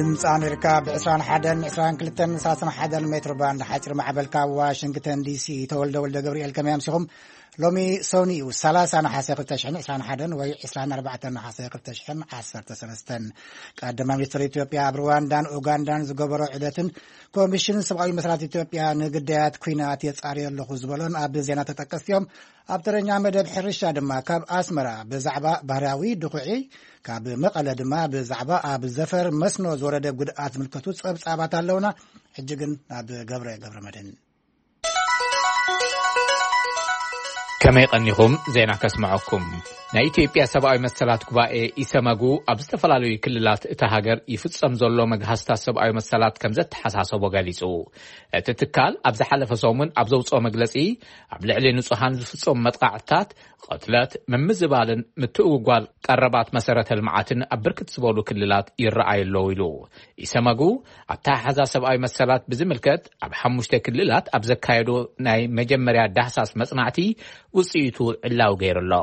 ድምፂ ኣሜሪካ ብ ዕስራን ሓደን፣ ዕስራን ክልተን፣ ሰላሳን ሓደን ሜትሮ ባንድ ሓፂር ማዕበል ካብ ዋሽንግተን ዲሲ። ተወልደ ወልደ ገብርኤል፣ ከመይ ኣምሲኹም? ሎሚ ሰኑይ እዩ፣ ሰላሳ ነሓሰ ክልተ ሽሕን ዕስራን ሓደን ወይ ዕስራን ኣርባዕተን ነሓሰ ክልተ ሽሕን ዓሰርተ ሰለስተን። ቀዳማይ ሚኒስትር ኢትዮጵያ ኣብ ሩዋንዳን ኡጋንዳን ዝገበሮ ዑደትን ኮሚሽን ሰብኣዊ መሰላት ኢትዮጵያ ንግዳያት ኲናት የጻርዮ ኣለኹ ዝበሎን ኣብ ዜና ተጠቀስቲ እዮም። ኣብ ተረኛ መደብ ሕርሻ ድማ ካብ ኣስመራ ብዛዕባ ባህርያዊ ድኹዒ፣ ካብ መቐለ ድማ ብዛዕባ ኣብ ዘፈር መስኖ ዝወረደ ጉድኣት ዝምልከቱ ጸብጻባት ኣለውና። ሕጂ ግን ናብ ገብረ ገብረ መድህን። ከመይ ቀኒኹም? ዜና ከስምዐኩም። ናይ ኢትዮጵያ ሰብኣዊ መሰላት ጉባኤ፣ ኢሰመጉ፣ ኣብ ዝተፈላለዩ ክልላት እታ ሃገር ይፍጸም ዘሎ መግሃስታት ሰብኣዊ መሰላት ከም ዘተሓሳሰቦ ገሊጹ። እቲ ትካል ኣብ ዝሓለፈ ሰሙን ኣብ ዘውጽኦ መግለጺ፣ ኣብ ልዕሊ ንጹሃን ዝፍጸሙ መጥቃዕትታት፣ ቅትለት፣ ምምዝባልን ምትእውጓል ቀረባት መሰረተ ልምዓትን ኣብ ብርክት ዝበሉ ክልላት ይረኣዩ ኣለዉ ኢሉ። ኢሰመጉ ኣተሓሕዛ ሰብኣዊ መሰላት ብዝምልከት ኣብ ሓሙሽተ ክልላት ኣብ ዘካየዶ ናይ መጀመርያ ዳህሳስ መጽናዕቲ ውጽኢቱ ዕላዊ ገይሩ ኣሎ።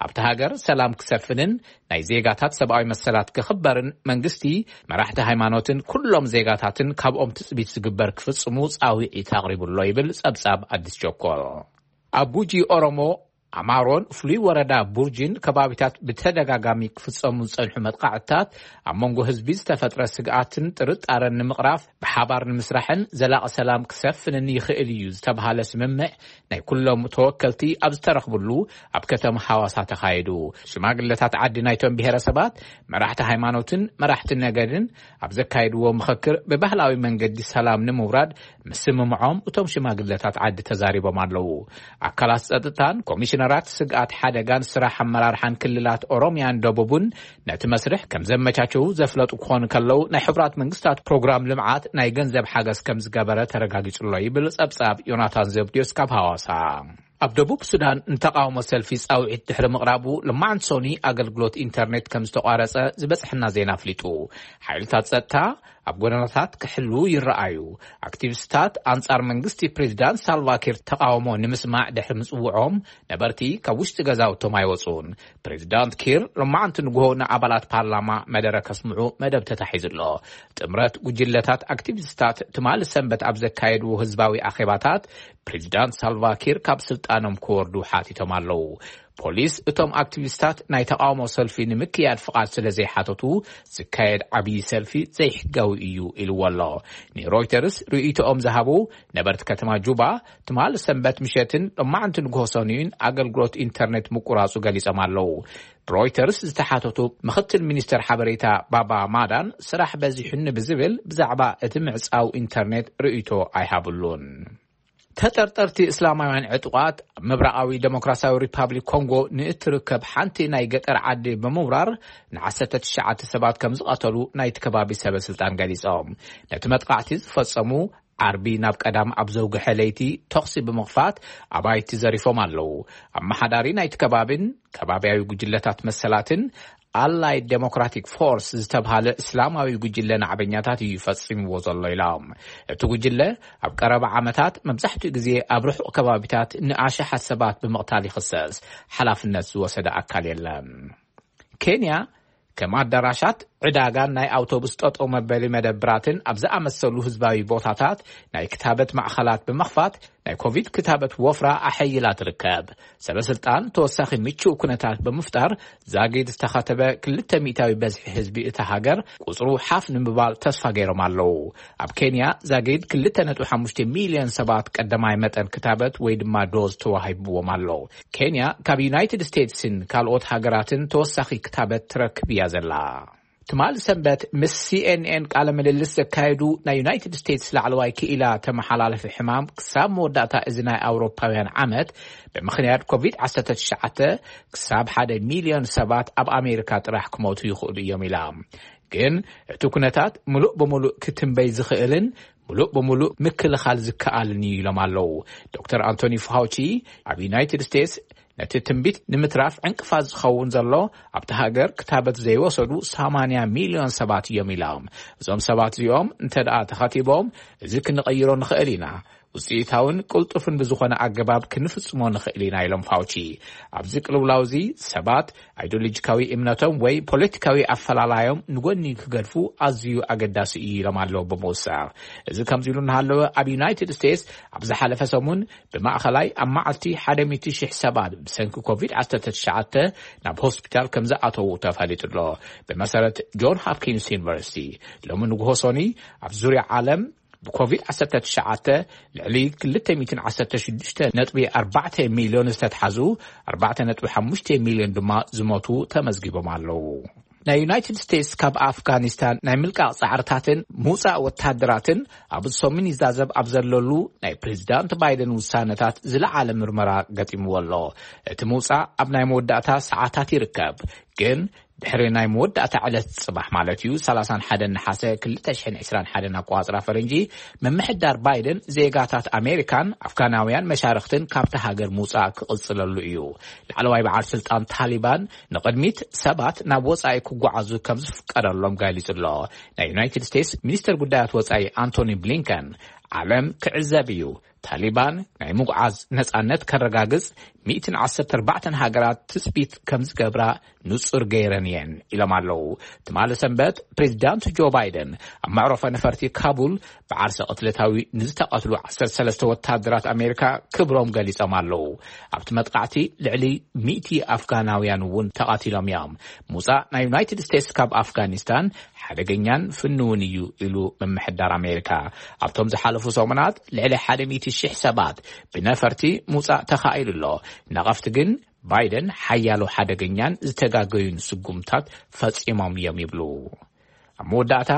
ኣብቲ ሃገር ሰላም ክሰፍንን ናይ ዜጋታት ሰብኣዊ መሰላት ክኽበርን መንግስቲ፣ መራሕቲ ሃይማኖትን ኩሎም ዜጋታትን ካብኦም ትጽቢት ዝግበር ክፍጽሙ ጻውዒት ኣቕሪቡ ኣሎ ይብል ጸብጻብ ኣዲስ ቸኮል። ኣብ ጉጂ ኦሮሞ ኣማሮን ፍሉይ ወረዳ ቡርጂን ከባቢታት ብተደጋጋሚ ክፍጸሙ ዝጸንሑ መጥቃዕትታት ኣብ መንጎ ህዝቢ ዝተፈጥረ ስግኣትን ጥርጣረን ንምቕራፍ ብሓባር ንምስራሕን ዘላቒ ሰላም ክሰፍንን ይኽእል እዩ ዝተብሃለ ስምምዕ ናይ ኩሎም ተወከልቲ ኣብ ዝተረኽብሉ ኣብ ከተማ ሓዋሳ ተኻይዱ። ሽማግለታት ዓዲ ናይቶም ብሄረሰባት፣ መራሕቲ ሃይማኖትን መራሕቲ ነገድን ኣብ ዘካየድዎ ምኽክር ብባህላዊ መንገዲ ሰላም ንምውራድ ምስምምዖም እቶም ሽማግለታት ዓዲ ተዛሪቦም ኣለዉ። ኣካላት ጸጥታን ኮሚሽነራት ስግኣት ሓደጋን ስራሕ ኣመራርሓን ክልላት ኦሮሚያን ደቡብን ነቲ መስርሕ ከም ዘመቻቸዉ ዘፍለጡ ክኾኑ ከለዉ፣ ናይ ሕቡራት መንግስታት ፕሮግራም ልምዓት ናይ ገንዘብ ሓገዝ ከም ዝገበረ ተረጋጊጹ ኣሎ ይብል ጸብጻብ ዮናታን ዘብድዮስ ካብ ሃዋሳ። ኣብ ደቡብ ሱዳን ንተቃውሞ ሰልፊ ጻውዒት ድሕሪ ምቕራቡ፣ ልማዓንቲ ሰኑይ ኣገልግሎት ኢንተርኔት ከም ዝተቋረጸ ዝበጽሐና ዜና ኣፍሊጡ። ሓይልታት ጸጥታ ኣብ ጎደናታት ክሕሉ ይረኣዩ። ኣክቲቪስታት ኣንጻር መንግስቲ ፕሬዚዳንት ሳልቫኪር ተቃውሞ ንምስማዕ ድሕሪ ምጽውዖም፣ ነበርቲ ካብ ውሽጢ ገዛውቶም ኣይወጹን። ፕሬዚዳንት ኪር ሎማዓንቲ ንግሆ ንኣባላት ፓርላማ መደረ ከስምዑ መደብ ተታሒዙ ኣሎ። ጥምረት ጉጅለታት ኣክቲቪስታት ትማሊ ሰንበት ኣብ ዘካየድዎ ህዝባዊ ኣኼባታት፣ ፕሬዚዳንት ሳልቫኪር ካብ ስልጣኖም ክወርዱ ሓቲቶም ኣለዉ። ፖሊስ እቶም ኣክቲቪስታት ናይ ተቃውሞ ሰልፊ ንምክያድ ፍቓድ ስለ ዘይሓተቱ ዝካየድ ዓብዪ ሰልፊ ዘይሕጋዊ እዩ ኢልዎ ኣሎ። ንሮይተርስ ርእይቶኦም ዝሃቡ ነበርቲ ከተማ ጁባ፣ ትማሊ ሰንበት ምሸትን ሎማዕንቲ ንግሆ ሰኑይን ኣገልግሎት ኢንተርኔት ምቁራጹ ገሊጾም ኣለዉ። ሮይተርስ ዝተሓተቱ ምኽትል ሚኒስተር ሓበሬታ ባባ ማዳን፣ ስራሕ በዚሑኒ ብዝብል ብዛዕባ እቲ ምዕጻው ኢንተርኔት ርእይቶ ኣይሃብሉን። ተጠርጠርቲ እስላማውያን ዕጡቓት ኣብ ምብራቓዊ ዴሞክራሲያዊ ሪፓብሊክ ኮንጎ ንእትርከብ ሓንቲ ናይ ገጠር ዓዲ ብምውራር ንዓሰርተ ትሽዓተ ሰባት ከም ዝቐተሉ ናይቲ ከባቢ ሰበ ስልጣን ገሊጾም። ነቲ መጥቃዕቲ ዝፈጸሙ ዓርቢ ናብ ቀዳም ኣብ ዘውግሐ ለይቲ ተኹሲ ብምኽፋት ኣባይቲ ዘሪፎም ኣለዉ። ኣመሓዳሪ ናይቲ ከባቢን ከባቢያዊ ጉጅለታት መሰላትን ኣላይድ ዴሞክራቲክ ፎርስ ዝተብሃለ እስላማዊ ጉጅለ ናዕበኛታት እዩ ፈጺምዎ ዘሎ ኢሎም። እቲ ጉጅለ ኣብ ቀረባ ዓመታት መብዛሕትኡ ግዜ ኣብ ርሑቕ ከባቢታት ንኣሽሓት ሰባት ብምቕታል ይኽሰስ። ሓላፍነት ዝወሰደ ኣካል የለን። ኬንያ ከም ኣዳራሻት፣ ዕዳጋን ናይ ኣውቶቡስ ጠጠው መበሊ መደብራትን ኣብ ዝኣመሰሉ ህዝባዊ ቦታታት ናይ ክታበት ማእኸላት ብምኽፋት ናይ ኮቪድ ክታበት ወፍራ ኣሐይላ ትርከብ። ሰበ ስልጣን ተወሳኺ ምቹእ ኩነታት ብምፍጣር ዛጊድ ዝተኸተበ ክልተ ሚእታዊ በዝሒ ህዝቢ እታ ሃገር ቁጽሩ ሓፍ ንምባል ተስፋ ገይሮም ኣለዉ። ኣብ ኬንያ ዛጊድ ክልተ ነጥቢ ሓሙሽተ ሚልዮን ሰባት ቀዳማይ መጠን ክታበት ወይ ድማ ዶዝ ተዋሂብዎም ኣሎ። ኬንያ ካብ ዩናይትድ ስቴትስን ካልኦት ሃገራትን ተወሳኺ ክታበት ትረክብ እያ ዘላ። ትማል ሰንበት ምስ ሲኤንኤን ቃለ ምልልስ ዘካየዱ ናይ ዩናይትድ ስቴትስ ላዕለዋይ ክኢላ ተመሓላለፊ ሕማም፣ ክሳብ መወዳእታ እዚ ናይ ኣውሮፓውያን ዓመት ብምኽንያት ኮቪድ ዓሰርተ ትሽዓተ ክሳብ ሓደ ሚልዮን ሰባት ኣብ ኣሜሪካ ጥራሕ ክሞቱ ይኽእሉ እዮም ኢላ። ግን እቲ ኩነታት ምሉእ ብምሉእ ክትንበይ ዝኽእልን ምሉእ ብምሉእ ምክልኻል ዝከኣልን እዩ ኢሎም ኣለዉ። ዶክተር ኣንቶኒ ፋውቺ ኣብ ዩናይትድ ስቴትስ ነቲ ትንቢት ንምትራፍ ዕንቅፋት ዝኸውን ዘሎ ኣብቲ ሃገር ክታበት ዘይወሰዱ ሰማንያ ሚልዮን ሰባት እዮም ኢሎም። እዞም ሰባት እዚኦም እንተ ደኣ ተኸቲቦም፣ እዚ ክንቐይሮ ንኽእል ኢና። ውፅኢታውን ቅልጡፍን ብዝኾነ ኣገባብ ክንፍፅሞ ንኽእል ኢና ኢሎም ፋውቺ። ኣብዚ ቅልውላው እዚ ሰባት ኣይዲዮሎጂካዊ እምነቶም ወይ ፖለቲካዊ ኣፈላላዮም ንጎኒ ክገድፉ ኣዝዩ ኣገዳሲ እዩ ኢሎም ኣለዉ ብምውሳኽ። እዚ ከምዚ ኢሉ እናሃለወ ኣብ ዩናይትድ ስቴትስ ኣብ ዝሓለፈ ሰሙን ብማእኸላይ ኣብ መዓልቲ ሓደ ሚእቲ ሺሕ ሰባት ብሰንኪ ኮቪድ ዓሰርተ ትሽዓተ ናብ ሆስፒታል ከም ዝኣተዉ ተፈሊጡ ኣሎ። ብመሰረት ጆን ሆፕኪንስ ዩኒቨርሲቲ ሎሚ ንግሆ ሶኒ ኣብ ዙርያ ዓለም ብኮቪድ ዓሰርተ ትሽዓተ ልዕሊ ክልተ ሚእትን ዓሰርተ ሽዱሽተ ነጥቢ ኣርባዕተ ሚልዮን ዝተትሓዙ ኣርባዕተ ነጥቢ ሓሙሽተ ሚልዮን ድማ ዝሞቱ ተመዝጊቦም ኣለዉ። ናይ ዩናይትድ ስቴትስ ካብ ኣፍጋኒስታን ናይ ምልቃቕ ጻዕርታትን ምውጻእ ወታደራትን ኣብ ሰሙን ይዛዘብ ኣብ ዘለሉ ናይ ፕሬዚዳንት ባይደን ውሳነታት ዝለዓለ ምርመራ ገጢምዎ ኣሎ። እቲ ምውጻእ ኣብ ናይ መወዳእታ ሰዓታት ይርከብ፣ ግን ድሕሪ ናይ መወዳእታ ዕለት ጽባሕ ማለት እዩ፣ ሰላሳን ሓደን ነሓሰ ክልተ ሽሕን ዕስራን ሓደን ኣቆጻጽራ ፈረንጂ፣ ምምሕዳር ባይደን ዜጋታት ኣሜሪካን ኣፍጋናውያን መሻርኽትን ካብቲ ሃገር ምውጻእ ክቕጽለሉ እዩ። ላዕለዋይ በዓል ስልጣን ታሊባን ንቕድሚት ሰባት ናብ ወጻኢ ክጓዓዙ ከም ዝፍቀደሎም ገሊጹ ኣሎ። ናይ ዩናይትድ ስቴትስ ሚኒስተር ጉዳያት ወጻኢ ኣንቶኒ ብሊንከን፣ ዓለም ክዕዘብ እዩ፣ ታሊባን ናይ ምጉዓዝ ነጻነት ከረጋግጽ ሚእትን ዓሰርተ ኣርባዕተን ሃገራት ትጽቢት ከም ዝገብራ ንጹር ገይረን እየን ኢሎም ኣለዉ። ትማሊ ሰንበት ፕሬዚዳንት ጆ ባይደን ኣብ መዕረፎ ነፈርቲ ካቡል ብዓርሰ ቅትለታዊ ንዝተቐትሉ ዓሰርተ ሰለስተ ወታደራት ኣሜሪካ ክብሮም ገሊጾም ኣለዉ። ኣብቲ መጥቃዕቲ ልዕሊ ሚእቲ ኣፍጋናውያን እውን ተቐቲሎም እዮም። ምውጻእ ናይ ዩናይትድ ስቴትስ ካብ ኣፍጋኒስታን ሓደገኛን ፍንውን እዩ ኢሉ ምምሕዳር ኣሜሪካ። ኣብቶም ዝሓለፉ ሰሙናት ልዕሊ ሓደ ሚእቲ ሽሕ ሰባት ብነፈርቲ ምውጻእ ተኻኢሉ ኣሎ። ነቐፍቲ ግን ባይደን ሓያሎ ሓደገኛን ዝተጋገዩን ስጉምታት ፈጺሞም እዮም ይብሉ። ኣብ መወዳእታ፣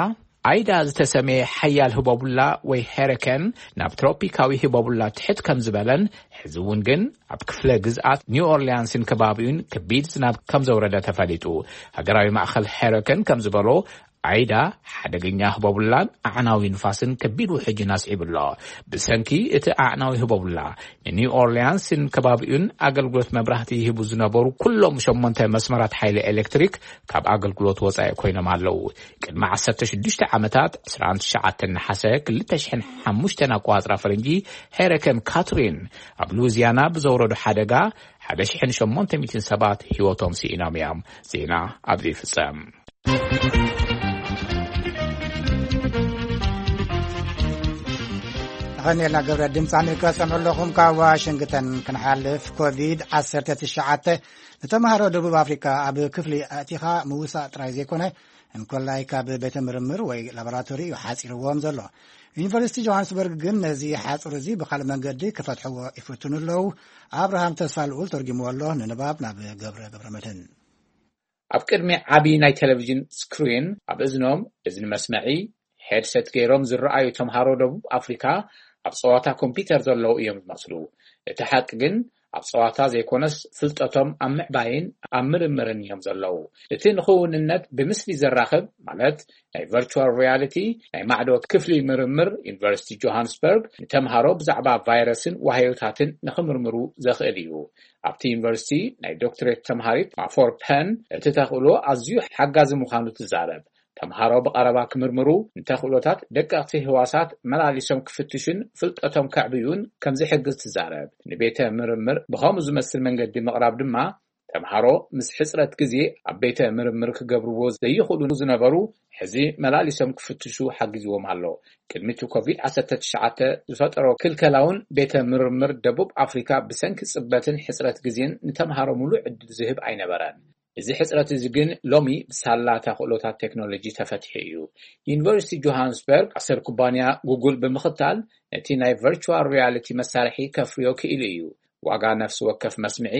ኣይዳ ዝተሰመየ ሓያል ህቦቡላ ወይ ሄረከን ናብ ትሮፒካዊ ህቦቡላ ትሕት ከም ዝበለን፣ ሕዚ እውን ግን ኣብ ክፍለ ግዝኣት ኒው ኦርሊያንስን ከባቢኡን ከቢድ ዝናብ ከም ዘውረደ ተፈሊጡ። ሃገራዊ ማእኸል ሄረከን ከም ዝበሎ፣ ኣይዳ ሓደገኛ ህቦቡላን ኣዕናዊ ንፋስን ከቢድ ውሕጅን ኣስዒቡ ኣሎ። ብሰንኪ እቲ ኣዕናዊ ህቦቡላ፣ ንኒው ኦርሊያንስን ከባቢኡን ኣገልግሎት መብራህቲ ይህቡ ዝነበሩ ኩሎም ሸሞንተ መስመራት ሓይሊ ኤሌክትሪክ ካብ ኣገልግሎት ወጻኢ ኮይኖም ኣለዉ። ቅድሚ ዓሰርተ ሽዱሽተ ዓመታት፣ ዕስራን ትሽዓተን ነሓሰ ክልተ ሽሕን ሓሙሽተን ኣቆጻጽራ ፈረንጂ፣ ሄረከን ካትሪን ኣብ ሉዊዚያና ብዘውረዶ ሓደጋ ሓደ ሽሕን ሸሞንተ ሚእትን ሰባት ህይወቶም ስኢኖም እዮም። ዜና ኣብዚ ይፍጸም። ተኸኒልና ገብረ ድምፂ ኣሜሪካ ሰምዑ ኣለኹም። ካብ ዋሽንግተን ክንሓልፍ፣ ኮቪድ ዓሰርተ ትሽዓተ ንተምሃሮ ደቡብ ኣፍሪካ ኣብ ክፍሊ ኣእቲኻ ምውሳእ ጥራይ ዘይኮነ፣ እንኮላይ ካብ ቤተ ምርምር ወይ ላቦራቶሪ እዩ ሓፂርዎም ዘሎ። ዩኒቨርሲቲ ጆሃንስበርግ ግን ነዚ ሓፁር እዚ ብካልእ መንገዲ ክፈትሕዎ ይፍትኑ ኣለዉ። ኣብርሃም ተስፋ ልኡል ተርጊምዎ ኣሎ። ንንባብ ናብ ገብረ ገብረ መድህን። ኣብ ቅድሚ ዓቢ ናይ ቴሌቪዥን ስክሪን ኣብ እዝኖም እዝኒ መስመዒ ሄድሰት ገይሮም ዝረኣዩ ተምሃሮ ደቡብ ኣፍሪካ ኣብ ጸዋታ ኮምፒውተር ዘለዉ እዮም ዝመስሉ። እቲ ሓቂ ግን ኣብ ጸዋታ ዘይኮነስ ፍልጠቶም ኣብ ምዕባይን ኣብ ምርምርን እዮም ዘለዉ። እቲ ንኽውንነት ብምስሊ ዘራኽብ ማለት ናይ ቨርቹዋል ሪያሊቲ ናይ ማዕዶ ክፍሊ ምርምር ዩኒቨርሲቲ ጆሃንስበርግ ንተምሃሮ ብዛዕባ ቫይረስን ዋህዮታትን ንኽምርምሩ ዘኽእል እዩ። ኣብቲ ዩኒቨርሲቲ ናይ ዶክትሬት ተምሃሪት ማፎር ፐን እቲ ተኽእሎ ኣዝዩ ሓጋዚ ምዃኑ ትዛረብ። ተምሃሮ ብቐረባ ክምርምሩ፣ ንተኽእሎታት ደቀቕቲ ህዋሳት መላሊሶም ክፍትሹን ፍልጠቶም ከዕብዩን ከም ዝሕግዝ ትዛረብ። ንቤተ ምርምር ብኸምኡ ዝመስል መንገዲ ምቕራብ ድማ ተምሃሮ ምስ ሕጽረት ግዜ ኣብ ቤተ ምርምር ክገብርዎ ዘይኽእሉ ዝነበሩ ሕዚ መላሊሶም ክፍትሹ ሓጊዝዎም ኣሎ። ቅድሚ እቲ ኮቪድ ዓሰርተ ትሽዓተ ዝፈጠሮ ክልከላውን ቤተ ምርምር ደቡብ ኣፍሪካ ብሰንኪ ጽበትን ሕጽረት ግዜን ንተምሃሮ ሙሉእ ዕድል ዝህብ ኣይነበረን። እዚ ሕጽረት እዚ ግን ሎሚ ብሳላ ተኽእሎታት ቴክኖሎጂ ተፈቲሑ እዩ። ዩኒቨርሲቲ ጆሃንስበርግ ኣሰር ኩባንያ ጉጉል ብምኽታል ነቲ ናይ ቨርቹዋል ሪያሊቲ መሳርሒ ከፍርዮ ክኢሉ እዩ። ዋጋ ነፍሲ ወከፍ መስምዒ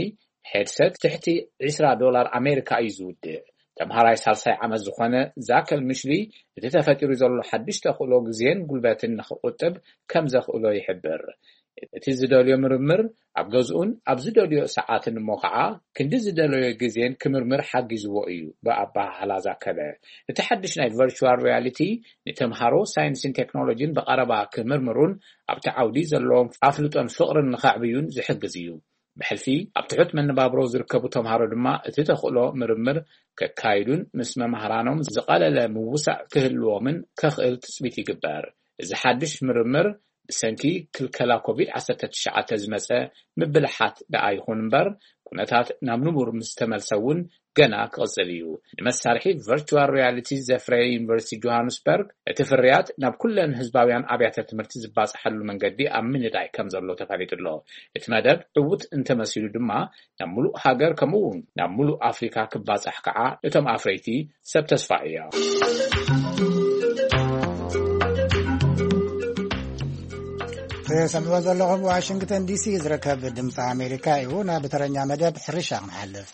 ሄድሰት ትሕቲ ዕስራ ዶላር ኣሜሪካ እዩ ዝውድእ። ተምሃራይ ሳልሳይ ዓመት ዝኾነ ዛከል ምሽሊ እቲ ተፈጢሩ ዘሎ ሓድሽ ተኽእሎ ግዜን ጉልበትን ንኽቁጥብ ከም ዘኽእሎ ይሕብር። እቲ ዝደልዮ ምርምር ኣብ ገዝኡን ኣብ ዝደልዮ ሰዓትን እሞ ኸዓ ክንዲ ዝደለዮ ግዜን ክምርምር ሓጊዝዎ እዩ ብኣበሃህላ ዛከለ። እቲ ሓድሽ ናይ ቨርቹዋል ሪያሊቲ ንተምሃሮ ሳይንስን ቴክኖሎጂን ብቐረባ ክምርምሩን ኣብቲ ዓውዲ ዘለዎም ኣፍልጦን ፍቕርን ንኸዕብዩን ዝሕግዝ እዩ። ብሕልፊ ኣብ ትሑት መነባብሮ ዝርከቡ ተምሃሮ ድማ እቲ ተኽእሎ ምርምር ከካይዱን ምስ መማህራኖም ዝቐለለ ምውሳእ ክህልዎምን ከኽእል ትጽቢት ይግበር። እዚ ሓድሽ ምርምር ብሰንኪ ክልከላ ኮቪድ ዓሰርተ ትሽዓተ ዝመጸ ምብልሓት ደኣ ይኹን እምበር፣ ኩነታት ናብ ንቡር ምስ ተመልሰ እውን ገና ክቕጽል እዩ። ንመሳርሒ ቨርቹዋል ሪያሊቲ ዘፍረየ ዩኒቨርሲቲ ጆሃንስበርግ፣ እቲ ፍርያት ናብ ኩለን ህዝባውያን ኣብያተ ትምህርቲ ዝባጽሓሉ መንገዲ ኣብ ምንዳይ ከም ዘሎ ተፈሊጡ ኣሎ። እቲ መደብ ዕዉት እንተመሲሉ ድማ፣ ናብ ሙሉእ ሃገር፣ ከምኡ እውን ናብ ሙሉእ ኣፍሪካ ክባጻሕ ከዓ እቶም ኣፍረይቲ ሰብ ተስፋ እዮም። ትሰምዕዎ ዘለኹም ዋሽንግተን ዲሲ ዝርከብ ድምፂ ኣሜሪካ እዩ። ናብ ተረኛ መደብ ሕርሻ ክንሓልፍ።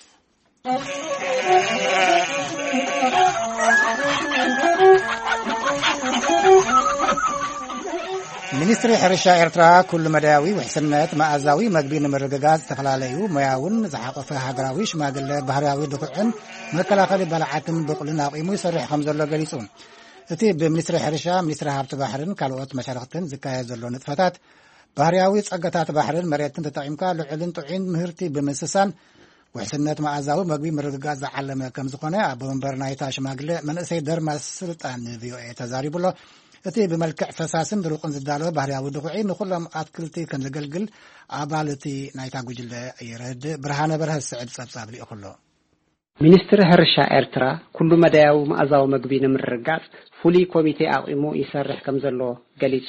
ሚኒስትሪ ሕርሻ ኤርትራ ኩሉ መዳያዊ ውሕስነት መኣዛዊ መግቢ ንምርግጋጽ ዝተፈላለዩ ሞያውን ዝሓቆፈ ሃገራዊ ሽማግለ ባህርያዊ ድኹዕን መከላኸሊ ባልዓትን ብቑልን ኣቑሙ ይሰርሕ ከም ዘሎ ገሊጹ። እቲ ብሚኒስትሪ ሕርሻ፣ ሚኒስትሪ ሃብቲ ባሕርን ካልኦት መሻርኽትን ዝካየድ ዘሎ ንጥፈታት፣ ባህርያዊ ጸጋታት ባሕርን መሬትን ተጠቒምካ ልዑልን ጥዑይን ምህርቲ ብምስሳን ውሕስነት መኣዛዊ መግቢ ምርግጋጽ ዝዓለመ ከም ዝኾነ ኣቦ መንበር ናይታ ሽማግለ መንእሰይ ደርማስ ስልጣን ንቪኦኤ ተዛሪቡ ኣሎ። እቲ ብመልክዕ ፈሳስን ድሩቕን ዝዳሎ ባህርያዊ ድኹዒ ንኹሎም ኣትክልቲ ከም ዘገልግል ኣባል እቲ ናይታ ጉጅለ የረድእ። ብርሃነ በርሀ ዝስዕብ ጸብጻብ ልኢኹ ኣሎ። ሚኒስትሪ ሕርሻ ኤርትራ ኩሉ መዳያዊ መኣዛዊ መግቢ ንምርግጋጽ ፍሉይ ኮሚቴ ኣቑሙ ይሰርሕ ከም ዘሎ ገሊጹ።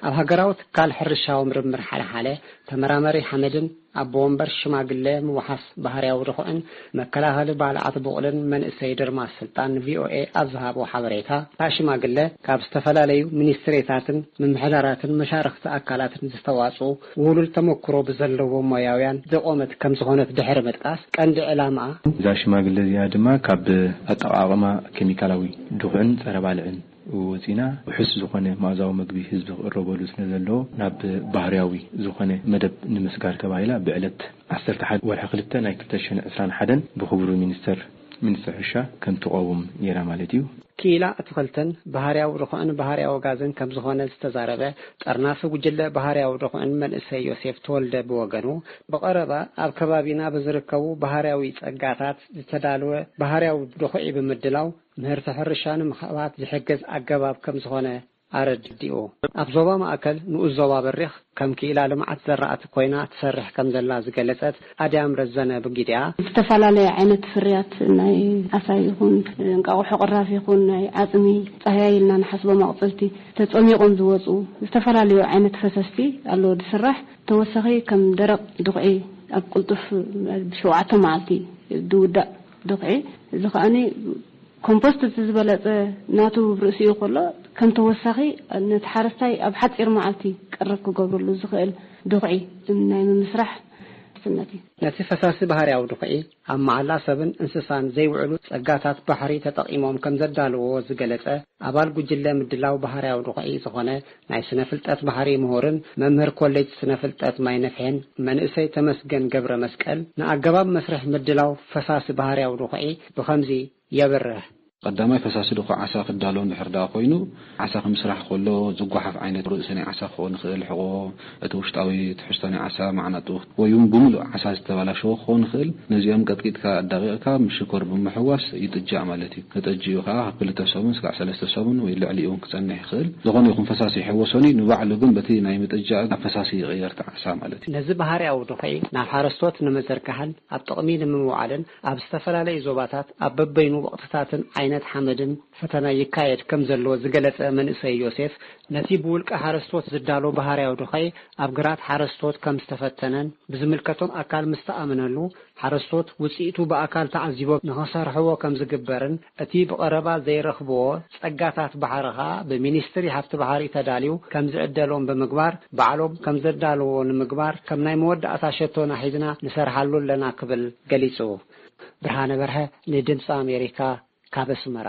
ኣብ ሃገራዊ ትካል ሕርሻዊ ምርምር ሓለሓለ ተመራመሪ ሓመድን ኣቦ ወንበር ሽማግለ ምውሓስ ባህርያዊ ድኹዕን መከላኸሊ ባልዓት ብቑልን መንእሰይ ድርማስ ስልጣን ንቪኦኤ ኣብ ዝሃቦ ሓበሬታ፣ እታ ሽማግለ ካብ ዝተፈላለዩ ሚኒስትሪታትን ምምሕዳራትን መሻርኽቲ ኣካላትን ዝተዋጽኡ ውህሉል ተመክሮ ብዘለዎም ሞያውያን ዝቖመት ከም ዝኾነት ድሕሪ ምጥቃስ፣ ቀንዲ ዕላማኣ እዛ ሽማግለ እዚኣ ድማ ካብ ኣጠቓቕማ ኬሚካላዊ ድኹዕን ጸረ ባልዕን ወጺና ውሑስ ዝኾነ መኣዛዊ መግቢ ህዝቢ ክቕረበሉ ስለ ዘለዎ ናብ ባህርያዊ ዝኾነ መደብ ንምስጋር ተባሂላ ብዕለት ዓሰርተ ሓደ ወርሒ ክልተ ናይ ክልተ ሽሕን ዕስራን ሓደን ብክቡር ሚኒስተር፣ ሚኒስተር ሕርሻ ከም ትቐውም ነይራ ማለት እዩ። ክኢላ ኣትኽልትን ባህርያዊ ድኹዕን ባህርያዊ ጋዝን ከም ዝኾነ ዝተዛረበ ጠርናፊ ጉጅለ ባህርያዊ ድኹዕን መንእሰይ ዮሴፍ ተወልደ ብወገኑ፣ ብቐረባ ኣብ ከባቢና ብዝርከቡ ባህርያዊ ጸጋታት ዝተዳለወ ባህርያዊ ድኹዒ ብምድላው ምህርቲ ሕርሻ ንምኽዕባት ዝሕግዝ ኣገባብ ከም ዝኾነ ኣረዲኡ። ኣብ ዞባ ማእከል ንኡስ ዞባ በሪኽ ከም ክኢላ ልምዓት ዘራእቲ ኮይና ትሰርሕ ከም ዘላ ዝገለጸት ኣድያም ረዘነ ብጊዲኣ፣ ዝተፈላለየ ዓይነት ፍርያት ናይ ዓሳ ይኹን እንቃቑሖ ቅራፍ ይኹን ናይ ዓጽሚ ጻህያይ ኢልና ንሓስቦም ኣቑጽልቲ ተጸሚቖም ዝወጹ ዝተፈላለዩ ዓይነት ፈሰስቲ ኣለዎ ዝስራሕ። ተወሳኺ ከም ደረቕ ድኹዒ ኣብ ቅልጡፍ ብሸውዓተ መዓልቲ ዝውዳእ ድኹዒ፣ እዚ ከኣኒ ኮምፖስት እቲ ዝበለጸ ናቱ ርእሲኡ ከሎ፣ ከም ተወሳኺ ነቲ ሓረስታይ ኣብ ሓጺር መዓልቲ ቀረብ ክገብረሉ ዝኽእል ድኹዒ ናይ ምምስራሕ ውስነት እዩ። ነቲ ፈሳሲ ባህርያዊ ድኹዒ ኣብ መዓላ ሰብን እንስሳን ዘይውዕሉ ጸጋታት ባሕሪ ተጠቒሞም ከም ዘዳለዎ ዝገለጸ ኣባል ጉጅለ ምድላው ባህርያዊ ድኹዒ ዝኾነ ናይ ስነ ፍልጠት ባሕሪ ምሁርን መምህር ኮሌጅ ስነ ፍልጠት ማይ ነፍሔን መንእሰይ ተመስገን ገብረ መስቀል፣ ንኣገባብ መስርሕ ምድላው ፈሳሲ ባህርያዊ ድኹዒ ብኸምዚ የብርህ። ቀዳማይ ፈሳሲ ድኹዒ ዓሳ ክዳሎ እንድሕር ደኣ ኮይኑ፣ ዓሳ ክምስራሕ ከሎ ዝጓሓፍ ዓይነት ርእሲ ናይ ዓሳ ክኸውን ይኽእል፣ ሕቖ፣ እቲ ውሽጣዊ ትሕዝቶ ናይ ዓሳ፣ ማዕናጡ፣ ወይ እውን ብምሉእ ዓሳ ዝተበላሸወ ክኸውን ይኽእል። ነዚኦም ቀጥቂጥካ ኣዳቒቕካ ምስ ሽኮር ብምሕዋስ ይጥጃእ ማለት እዩ። ተጠጂኡ ከዓ ካብ ክልተ ሰሙን ስጋዕ ሰለስተ ሰሙን ወይ ልዕሊኡ እውን ክጸንሕ ይኽእል። ዝኾነ ይኹን ፈሳሲ ይሕወሶኒ፣ ንባዕሉ ግን በቲ ናይ ምጥጃእ ናብ ፈሳሲ ይቕየር እቲ ዓሳ ማለት እዩ። ነዚ ባህርያዊ ድኹዒ ናብ ሓረስቶት ንምዝርጋሕን ኣብ ጥቕሚ ንምውዓልን ኣብ ዝተፈላለዩ ዞባታት ኣብ በበይኑ ወቕትታትን ዓይነት ሓመድን ፈተና ይካየድ ከም ዘሎ ዝገለጸ መንእሰይ ዮሴፍ፣ ነቲ ብውልቀ ሓረስቶት ዝዳሎ ባህርያዊ ድኹዒ ኣብ ግራት ሓረስቶት ከም ዝተፈተነን ብዝምልከቶም ኣካል ምስ ተኣመነሉ ሓረስቶት ውጽኢቱ ብኣካል ተዓዚቦም ንኸሰርሕዎ ከም ዝግበርን እቲ ብቐረባ ዘይረኽብዎ ጸጋታት ባሕሪ ኸኣ ብሚኒስትሪ ሃብቲ ባሕሪ ተዳልዩ ከም ዝዕደሎም ብምግባር ባዕሎም ከም ዘዳለዎ ንምግባር ከም ናይ መወዳእታ ሸቶና ሒዝና ንሰርሓሉ ኣለና ክብል ገሊጹ። ብርሃነ በርሀ ንድምፂ ኣሜሪካ ካብ ኣስመራ።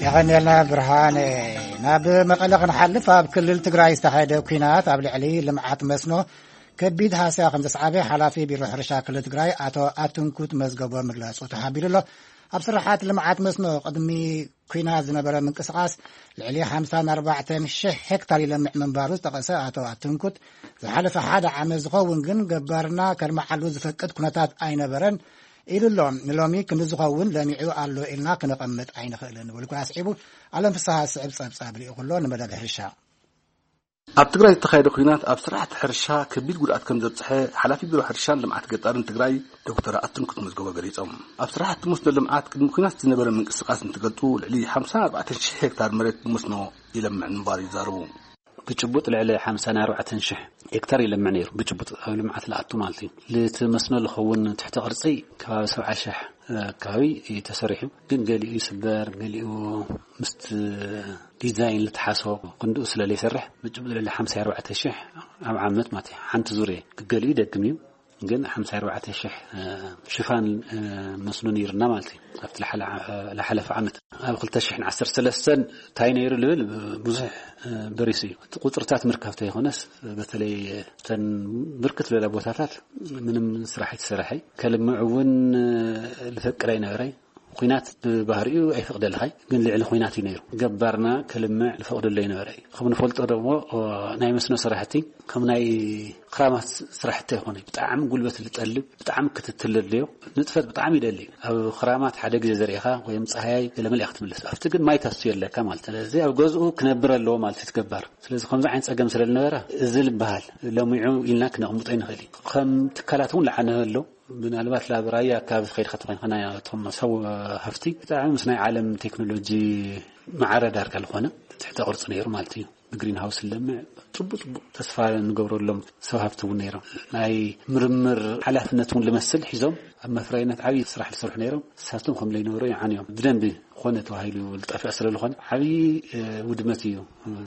የቐንየልና ብርሃነ። ናብ መቐለ ክንሓልፍ፣ ኣብ ክልል ትግራይ ዝተኻየደ ኲናት ኣብ ልዕሊ ልምዓት መስኖ ከቢድ ሃስያ ከም ዘስዓበ ሓላፊ ቢሮ ሕርሻ ክልል ትግራይ ኣቶ ኣትንኩት መዝገቦ ምግላጹ ተሓቢሩ ኣሎ። ኣብ ስራሓት ልምዓት መስኖ ቅድሚ ኲናት ዝነበረ ምንቅስቓስ ልዕሊ ሓምሳን ኣርባዕተን ሽሕ ሄክታር ይለምዕ ምንባሩ ዝጠቐሰ ኣቶ ኣትንኩት፣ ዝሓለፈ ሓደ ዓመት ዝኸውን ግን ገባርና ከልምዓሉ ዝፈቅድ ኩነታት ኣይነበረን። ኢሉ ኣሎ። ንሎሚ ክንዲ ዝኸውን ለሚዑ ኣሎ ኢልና ክነቐምጥ ኣይንኽእልን። ወልኩ ኣስዒቡ ኣለም ፍስሃ ስዕብ ጸብጻብ ልኢኹ ኣሎ ንመደብ ሕርሻ። ኣብ ትግራይ ዝተኻየደ ኲናት ኣብ ስራሕቲ ሕርሻ ከቢድ ጉድኣት ከም ዘብፅሐ ሓላፊ ቢሮ ሕርሻን ልምዓት ገጠርን ትግራይ ዶክተር ኣትንኩት መዝገቦ ገሊፆም። ኣብ ስራሕቲ መስኖ ልምዓት ቅድሚ ኲናት ዝነበረ ምንቅስቃስ እንትገልፁ፣ ልዕሊ ሓምሳን ኣርባዕተን ሽሕ ሄክታር መሬት ብመስኖ ይለምዕ ምንባሩ ይዛረቡ። ብጭቡጥ ልዕሊ ሓምሳን ኣርባዕተን ሽሕ ሄክታር ይለምዕ ነይሩ። ብጭቡጥ ኣብ ልምዓት ለኣቱ ማለት እዩ። ልቲ መስኖ ዝኸውን ትሕተ ቅርፂ ከባቢ ሰብዓ ሽሕ ኣካባቢ እዩ ተሰሪሑ። ግን ገሊኡ ይስበር፣ ገሊኡ ምስቲ ዲዛይን ልትሓሶ ክንድኡ ስለ ዘይሰርሕ፣ ብጭቡጥ ልዕሊ ሓምሳ ኣርባዕተ ሽሕ ኣብ ዓመት ማለት እዩ። ሓንቲ ዙርያ ክገሊኡ ይደግም እዩ። ግን ሓምሳ ኣርባዕተ ሽሕ ሽፋን መስኖ ነይርና ማለት እዩ። ኣብቲ ለሓለ- ለሓለፈ ዓመት ኣብ ክልተ ሽሕን ዓሰርተ ሰለስተን እንታይ ነይሩ ልብል ብዙሕ በሪሱ እዩ። እቲ ቁፅርታት ምርካብ ተይኮነስ፣ በተለይ እተን ብርክት ዝበላ ቦታታት ምንም ስራሕ ኣይተሰረሐ። ከልምዕ እውን ልፈቅድ ኣይነበረ። ኲናት ብባህሪኡ ኣይፈቅደልኻይ፣ ግን ልዕሊ ኲናት እዩ ነይሩ። ገባርና ከልምዕ ልፈቅደሉ ኣይነበረ። ከም ንፈልጦ ደግሞ ናይ መስኖ ስራሕቲ ከም ናይ ክራማት ስራሕቲ ኣይኮነ። ብጣዕሚ ጉልበት ልጠልብ፣ ብጣዕሚ ክትትል ለድልዮ፣ ንጥፈት ብጣዕሚ ይደሊ። ኣብ ክራማት ሓደ ግዜ ዘሪእኻ ወይም ፀሃያይ ገለመለ ክትምለስ፣ ኣብቲ ግን ማይ ታስትዮ ኣለካ ማለት። ስለዚ ኣብ ገዝኡ ክነብር ኣለዎ ማለት እዩ ገባር። ስለዚ ከምዚ ዓይነት ፀገም ስለ ዝነበረ እዚ ዝበሃል ለሚዑ ኢልና ክነቕምጦ ይንኽእል እዩ። ከም ትካላት እውን ለዓነ ኣሎ። ምናልባት ላብ ራያ ኣካባቢ ከይድካ ተኾይንካ፣ ናይ እቶም ሰብ ሃፍቲ ብጣዕሚ ምስ ናይ ዓለም ቴክኖሎጂ ማዕረ ዳርጋ ዝኾነ ትሕተ ቅርፂ ነይሩ ማለት እዩ። ብግሪን ሃውስ ለምዕ ፅቡቅ ፅቡቅ ተስፋ ንገብረሎም ሰብ ሃፍቲ እውን ነይሮም። ናይ ምርምር ሓላፍነት እውን ልመስል ሒዞም ኣብ መፍረይነት ዓብዪ ስራሕ ዝሰርሑ ነይሮም። እሳቶም ከም ለይነበሩ ይዓንዮም። ብደንቢ ኮነ ተባሂሉ ዝጠፍእ ስለ ዝኾነ ዓብዪ ውድመት እዩ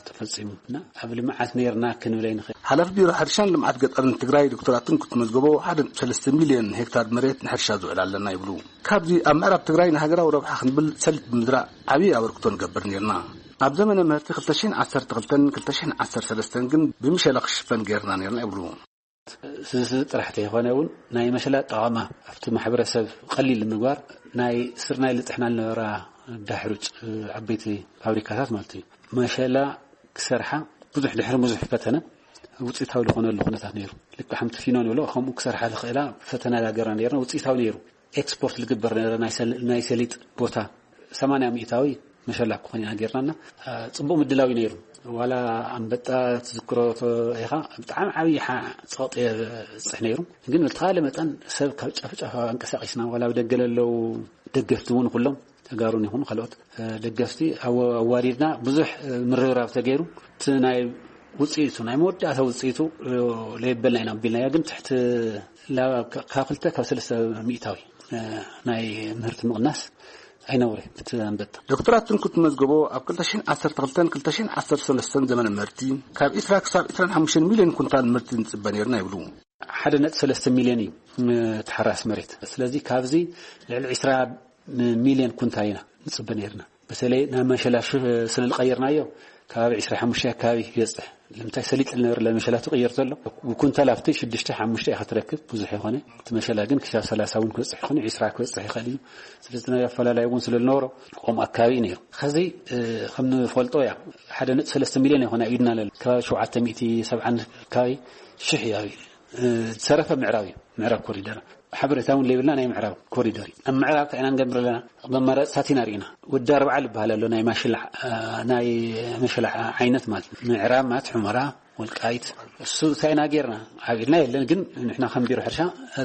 ተፈፂሙ እና ኣብ ልምዓት ነይርና ክንብል ኣይንኽእል። ሓላፊ ቢሮ ሕርሻን ልምዓት ገጠርን ትግራይ ዶክተር ኣትንኩት መዝገቦ፣ ሓደ ነጥቢ ሰለስተ ሚልዮን ሄክታር መሬት ንሕርሻ ዝውዕል ኣለና ይብሉ። ካብዚ ኣብ ምዕራብ ትግራይ ንሃገራዊ ረብሓ ክንብል ሰሊጥ ብምዝራእ ዓብዪ ኣበርክቶ ንገብር ነይርና። ኣብ ዘመነ ምህርቲ ክልተ ሽሕን ዓሰርተ ክልተን ክልተ ሽሕን ዓሰርተ ሰለስተን ግን ብምሸላ ክሽፈን ገይርና ነይርና ይብሉ። ስዚ ጥራሕ ተይኮነ እውን ናይ መሸላ ጠቐማ ኣብቲ ማሕበረሰብ ቀሊል ንምግባር ናይ ስርናይ ልጥሕና ዝነበራ ዳሕሩጭ ዓበይቲ ፋብሪካታት ማለት እዩ። መሸላ ክሰርሓ ብዙሕ ድሕሪ ብዙሕ ፈተነ ውፅኢታዊ ዝኾነሉ ኩነታት ነይሩ። ልክዕ ከምቲ ፊኖ ንብሎ ከምኡ ክሰርሓ ዝኽእላ ፈተና ዳገርና ነይርና። ውፅኢታዊ ነይሩ። ኤክስፖርት ዝግበር ነበረ። ናይ ሰል- ናይ ሰሊጥ ቦታ ሰማንያ ሚእታዊ መሸላ ክኾን ኢና ጌርናና። ጽቡቕ ምድላው እዩ ነይሩ። ዋላ ኣንበጣ ትዝክሮ ኢኻ፣ ብጣዕሚ ዓብዪ ሓ- ጸቕጢ የብጽሕ ነይሩ። ግን ብተኻለ መጠን ሰብ ካብ ጫፍ ጫፍ ኣንቀሳቂስና፣ ዋላ ብደገ ለለው ደገፍቲ እውን ኩሎም ተጋሩን ይኹኑ ካልኦት ደገፍቲ ኣወ- ኣዋዲድና ብዙሕ ምርብራብ ተገይሩ። እቲ ናይ ውፅኢቱ ናይ መወዳእታ ውፅኢቱ ለየበልና ኢና ኣቢልናዮ። ግን ትሕቲ ላ- ካብ ክልተ ካብ ሰለስተ ሚእታዊ ናይ ምህርቲ ምቕናስ ኣይነውረ ብቲ ኣንበጣ። ዶክተር ኣትንኩት መዝገቦ ኣብ ክልተ ሽሕን ዓሰርተ ክልተን ክልተ ሽሕን ዓሰርተ ሰለስተን ዘመነ ምህርቲ ካብ ዒስራ ክሳብ ዒስራን ሓሙሽተን ሚልዮን ኩንታል ምህርቲ ንፅበ ነይርና ይብሉ። ሓደ ነጥቢ ሰለስተ ሚልዮን እዩ ተሓራስ መሬት። ስለዚ ካብዚ ልዕሊ ዒስራ ሚልዮን ኩንታል ኢና ንፅበ ነይርና። በተለይ ናብ መሸላ ሹ- ስለ ዝቀየርናዮ ከባቢ ዒስራ ሓሙሽተ ኣካባቢ ይበፅሕ። ንምንታይ ሰሊጥ ዝነበረ መሸላ ትቅየር ዘሎ ብኩንታል ኣብቲ ሽዱሽተ ሓሙሽተ ኢኻ ትረክብ፣ ብዙሕ ይኾነ። እቲ መሸላ ግን ክሳብ ሰላሳ እውን ክበፅሕ ይኾነ፣ ዒስራ ክበፅሕ ይኽእል እዩ። ስለዚ ናይ ኣፈላላይ እውን ስለ ዝነበሮ ከምኡ ኣካባቢ እዩ ነይሩ። ከዚ ከም ንፈልጦ እያ ሓደ ነጥቢ ሰለስተ ሚልዮን ይኾነ ኢድና ለለ ከባቢ ሸውዓተ ሚእቲ ሰብዓን ከባቢ ሽሕ እዩ ዝሰረፈ ምዕራብ እዩ። ምዕራብ ኮሪደር ሓበሬታ እውን ለይብልና ናይ ምዕራብ ኮሪደር እዩ። ኣብ ምዕራብ እንታይ ኢና ንገብር ኣለና? መመረፅታት ኢና ርኢና። ወዲ ኣርባዓ ዝበሃል ኣሎ ናይ ማሽላ ናይ መሸላ ዓይነት ማለት ምዕራብ ማለት ሑመራ ወልቃይት እሱ እንታይ ኢና ጌርና? ኣብ ኢድና የለን፣ ግን ንሕና ከም ቢሮ ሕርሻ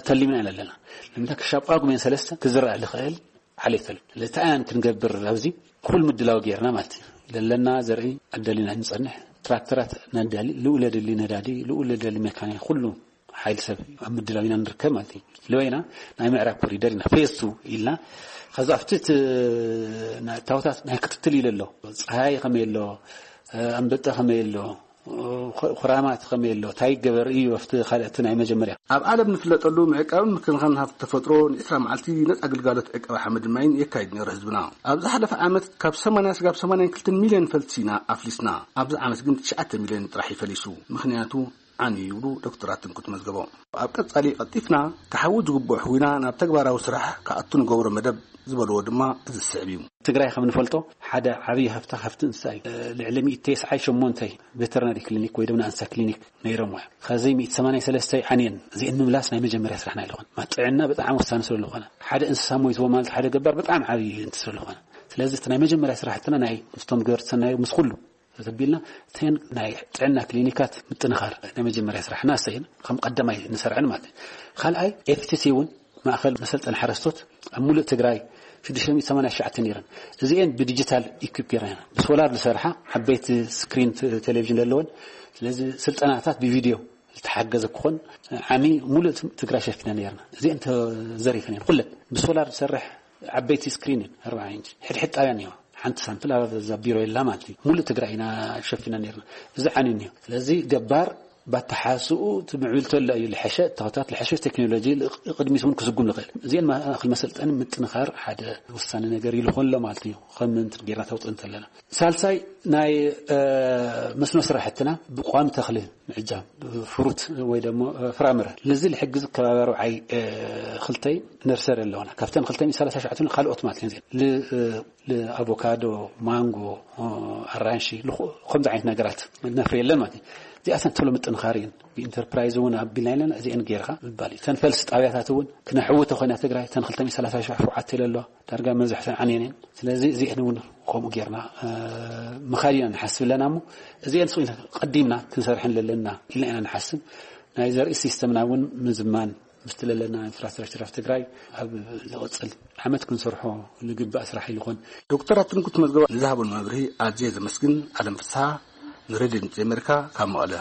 ተሊምና ኢና ኣለና። ንምንታይ ክሻብ ጳጉሜን ሰለስተ ክዝራእ ዝኽእል ዓሌት ኣሎ። ለታያን ክንገብር ኣብዚ ኩል ምድላው ጌርና ማለት እዩ። ለለና ዘርኢ ኣዳሊና ንጸንሕ። ትራክተራት ነዳሊ፣ ልኡ ለድሊ ነዳዲ፣ ልኡ ለደሊ ሜካኒክ፣ ኩሉ ሓይል ሰብ ኣብ ምድላው ኢና ንርከብ ማለት እዩ። ልበይና ናይ ምዕራብ ኮሪደር ኢና ፌዝ ቱ ኢልና። ከዚ ኣብቲ እቲ ናይ እታወታት ናይ ክትትል ኢለ ኣሎ። ፀሃይ ከመይ ኣሎ፣ ኣንበጣ ከመይ ኣሎ፣ ኩራማት ከመይ ኣሎ፣ እንታይ ይገበር እዩ ኣብቲ ካልእቲ ናይ መጀመርያ። ኣብ ዓለም ንፍለጠሉ ምዕቃብን ምክንኻን ሃፍቲ ተፈጥሮ ንዒስራ መዓልቲ ነፃ ግልጋሎት ዕቀባ ሓመድ ማይን የካይድ ነይሩ ህዝብና። ኣብ ዝሓለፈ ዓመት ካብ ሰማንያ ስጋብ ሰማንያን ክልተን ሚልዮን ፈልሲ ኢና ኣፍሊስና። ኣብዚ ዓመት ግን ትሽዓተ ሚልዮን ጥራሕ ይፈሊሱ። ምኽንያቱ ዓንዩ ይብሉ ዶክተር ኣትንኩት መዝገቦ። ኣብ ቀጻሊ ቀልጢፍና ክሓዊ ዝግብኦ ሕዊና ናብ ተግባራዊ ስራሕ ክኣቱ ንገብሮ መደብ ዝበልዎ ድማ እዚ ዝስዕብ እዩ። ትግራይ ከም ንፈልጦ ሓደ ዓብዪ ሃፍታ ሃፍቲ እንስሳ እዩ። ልዕሊ ሚእቲ ተስዓይ ሸሞንተ ቬተርናሪ ክሊኒክ ወይ ድማ እንስሳ ክሊኒክ ነይሮም እዮም። ከዚ ሚእቲ ሰማንያ ሰለስተ ዓንየን እዚአን ምምላስ ናይ መጀመርያ ስራሕና ኣይልኾን። ጥዕና ብጣዕሚ ወሳኒ ስለዝኾነ ሓደ እንስሳ ሞይትዎ ማለት ሓደ ገባር ብጣዕሚ ዓብዪ እንት ስለዝኾነ ስለዚ እቲ ናይ መጀመርያ ስራሕትና ናይ ምስቶም ገበርቲ ሰናይ ምስ ኩሉ ተተቢልና እተን ናይ ጥዕና ክሊኒካት ምጥንኻር ናይ መጀመርያ ስራሕና እሰይን ከም ቀዳማይ ንሰርዐን ማለት እዩ። ካልኣይ ኤፍቲሲ እውን ማእኸል መሰልጠን ሓረስቶት ኣብ ሙሉእ ትግራይ ሽዱሽተ ሚእቲ ሰማንያ ትሽዓተ ነይረን። እዚአን ብዲጂታል ኢኩፕ ጌርና ኢና። ብሶላር ዝሰርሓ ዓበይቲ ስክሪን ቴሌቪዥን ዘለወን። ስለዚ ስልጠናታት ብቪድዮ ዝተሓገዘ ክኾን ዓሚ ሙሉእ ትግራይ ሸፊና ነርና። እዚአን ተዘሪፈን እየን ኩለን። ብሶላር ዝሰርሕ ዓበይቲ ስክሪን እየን ኣርባዓ ኢንች ሕድሕድ ጣብያ እኒዋ። ሓንቲ ሳምፕል ኣብዛ ቢሮ የላ ማለት እዩ። ሙሉእ ትግራይ ኢና ሸፊና ነርና። እዚ ዓኒ እኒዮ። ስለዚ ገባር ባተሓስኡ እቲ ምዕብል ተሎ እዩ ልሐሸ እታወታት ልሐሸ ቴክኖሎጂ ቅድሚት እውን ክስጉም ንኽእል። እዚአን ማእኸል መሰልጠኒ ምጥንኻር ሓደ ወሳኒ ነገር ይልኾን ኣሎ ማለት እዩ። ከም ምንትን ጌርና ተውፅእ እንተለና ሳልሳይ ናይ መስኖ ስራሕትና ብቋሚ ተኽሊ ምዕጃብ ፍሩት ወይ ደሞ ፍራምረ ነዚ ልሕግዝ ከባቢ ኣርብዓይ ክልተይ ነርሰሪ ኣለውና። ካብተን ክልተ ሚእቲ ሰላሳ ሸዓተ ካልኦት ማለት እየን። ኣቮካዶ፣ ማንጎ፣ ኣራንሺ ከምዚ ዓይነት ነገራት ነፍሪ የለን ማለት እዩ። እዚኣተን ተሎ ምጥንኻር እየን። ብኢንተርፕራይዝ እውን ኣቢልና የለን እዚአን ጌርካ ምባል እዩ። ተን ፈልሲ ጣብያታት እውን ክነሕዊ ተኮይና ትግራይ ተን ክልተ ሚእቲ ሰላሳ ሸውዓተ ኢለ ኣለዋ። ዳርጋ መብዛሕተን ዓንየን እየን። ስለዚ እዚአን እውን ከምኡ ጌርና ምኻድ ኢና ንሓስብ ኣለና። እሞ እዚአን ስቕ ኢልና ቀዲምና ክንሰርሐን ለለና ኢልና ኢና ንሓስብ። ናይ ዘርኢ ሲስተምና እውን ምዝማን ምስቲ ለለና ኢንፍራስትራክቸር ኣብ ትግራይ ኣብ ዝቕፅል ዓመት ክንሰርሖ ንግባእ ስራሕ ይልኾን። ዶክተር ኣትንኩት መዝገባ ንዝሃበሉ መብርሂ ኣዝየ ዘመስግን። ኣለም ፍስሓ ንሬድዮ ድምፂ ኣሜሪካ ካብ መቐለ።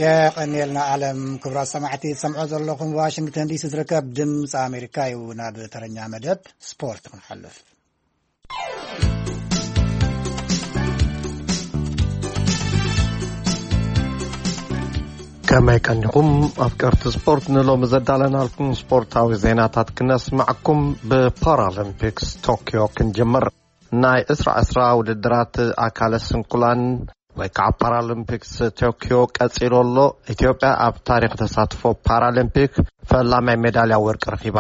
የቐንየልና ኣለም። ክቡራት ሰማዕቲ ትሰምዖ ዘለኹም ዋሽንግተን ዲሲ ዝርከብ ድምፂ ኣሜሪካ እዩ። ናብ ተረኛ መደብ ስፖርት ክንሓልፍ። ከመይ ቀኒኹም ኣፍቀርቲ ስፖርት? ንሎሚ ዘዳለናልኩም ስፖርታዊ ዜናታት ክነስማዕኩም። ብፓራሊምፒክስ ቶኪዮ ክንጅምር። ናይ ዕስራ ዕስራ ውድድራት ኣካለ ስንኩላን ወይ ከዓ ፓራሊምፒክስ ቶኪዮ ቀፂሉ ኣሎ። ኢትዮጵያ ኣብ ታሪክ ተሳትፎ ፓራሊምፒክ ፈላማይ ሜዳልያ ወርቂ ረኺባ።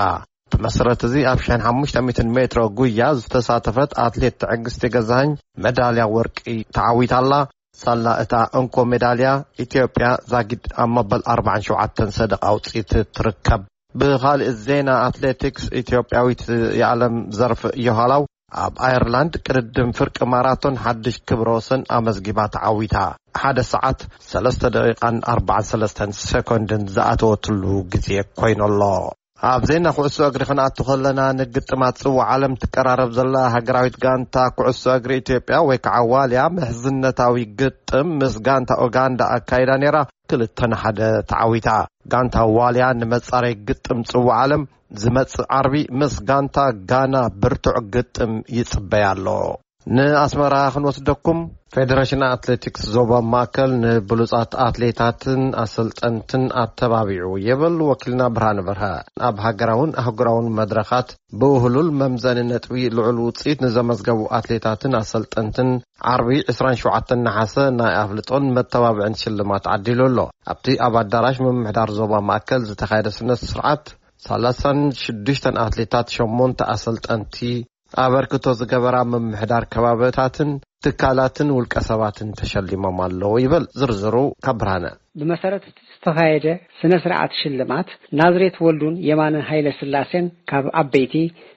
ብመሰረት እዚ ኣብ ሽሕን ሓሙሽተ ሚእትን ሜትሮ ጉያ ዝተሳተፈት ኣትሌት ትዕግስቲ ገዛኸኝ መዳልያ ወርቂ ተዓዊታ ኣላ። ሳላ እታ እንኮ ሜዳልያ ኢትዮጵያ ዛጊድ ኣብ መበል ኣርባዓን ሸውዓተን ሰደቓ ኣውፂት ትርከብ። ብኻልእ ዜና ኣትሌቲክስ ኢትዮጵያዊት የዓለም ዘርፍ ዮሃላው ኣብ ኣየርላንድ ቅድድም ፍርቂ ማራቶን ሓድሽ ክብረ ወሰን ኣመዝጊባ ተዓዊታ። ሓደ ሰዓት ሰለስተ ደቂቃን ኣርባዓን ሰለስተን ሰኮንድን ዝኣተወትሉ ግዜ ኮይኑሎ። ኣብ ዜና ኩዕሶ እግሪ ክንኣቱ ከለና ንግጥማት ጽዋዕ ዓለም ትቀራረብ ዘላ ሃገራዊት ጋንታ ኩዕሶ እግሪ ኢትዮጵያ ወይ ከዓ ዋልያ ምሕዝነታዊ ግጥም ምስ ጋንታ ኡጋንዳ ኣካይዳ ነይራ። ክልተ ንሓደ ተዓዊታ። ጋንታ ዋልያ ንመጻረይ ግጥም ጽዋዕ ዓለም ዝመጽእ ዓርቢ ምስ ጋንታ ጋና ብርቱዕ ግጥም ይጽበያ ኣሎ። ንኣስመራ ክንወስደኩም። ፌደሬሽን ኣትሌቲክስ ዞባ ማእከል ንብሉጻት ኣትሌታትን ኣሰልጠንትን ኣተባቢዑ ይብል ወኪልና ብርሃነ በርሀ። ኣብ ሃገራውን ኣህጉራውን መድረኻት ብውህሉል መምዘኒ ነጥቢ ልዑል ውጽኢት ንዘመዝገቡ ኣትሌታትን ኣሰልጠንትን ዓርቢ ዕስራን ሸውዓተን ነሓሰ ናይ ኣፍልጦን መተባብዕን ሽልማት ዓዲሉ ኣሎ። ኣብቲ ኣብ ኣዳራሽ ምምሕዳር ዞባ ማእከል ዝተኻየደ ስነ ስርዓት ሰላሳን ሽዱሽተን ኣትሌታት፣ ሸሞንተ ኣሰልጠንቲ፣ ኣበርክቶ ዝገበራ ምምሕዳር ከባብታትን ትካላትን ውልቀ ሰባትን ተሸሊሞም ኣለዉ ይብል ዝርዝሩ ካብ ብርሃነ። ብመሰረት እቲ ዝተኻየደ ስነ ስርዓት ሽልማት ናዝሬት ወልዱን የማነ ሃይለ ስላሴን ካብ ዓበይቲ፣